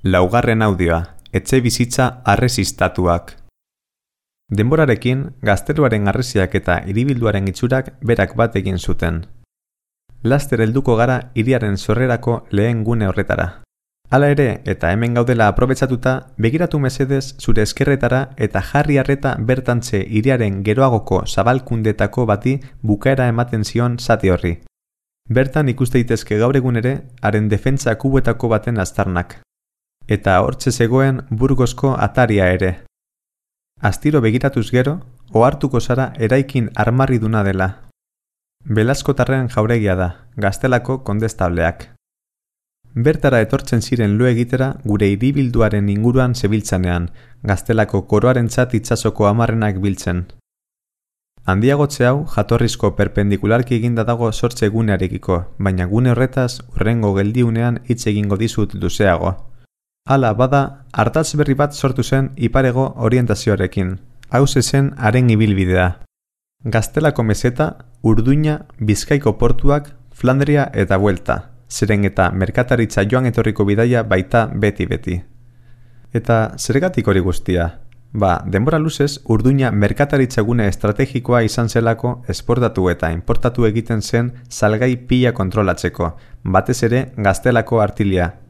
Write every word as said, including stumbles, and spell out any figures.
Laugarren audioa, etxe bizitza arresistatuak. Denborarekin, gazteluaren harresiak eta hiribilduaren itxurak berak bat egin zuten. Laster helduko gara hiriaren sorrerako lehen gune horretara. Hala ere, eta hemen gaudela aprobetxatuta, begiratu mesedez zure eskerretara eta jarri harreta bertantze hiriaren geroagoko zabalkundetako bati bukaera ematen zion zati horri. Bertan ikuste daitezke gaur egun ere, haren defentsa kubuetako baten aztarnak. Eta hortxe zegoen Burgosko ataria ere. Astiro begiratuz gero, ohartuko zara eraikin armarriduna dela. Belaskotarren jauregia da, Gaztelako kondestableak. Bertara etortzen ziren lo egitera gure hiribilduaren inguruan zebiltzanean, Gaztelako koroarentzat itsasoko hamarrenak biltzen. Handiagotze hau jatorrizko perpendikularki eginda dago sortze gunearekiko, baina gune horretaz hurrengo geldiunean hitz egingo dizut luzeago. Hala bada, ardatz berri bat sortu zen iparego orientazioarekin. Hauze zen haren ibilbidea. Gaztelako meseta, Urduña, Bizkaiko portuak, Flandria eta buelta. Zeren eta merkataritza joan etorriko bidaia baita beti-beti. Eta zergatik hori guztia? Ba, denbora luzez, Urduña merkataritza gune estrategikoa izan zelako esportatu eta importatu egiten zen salgai pila kontrolatzeko, batez ere Gaztelako artilia,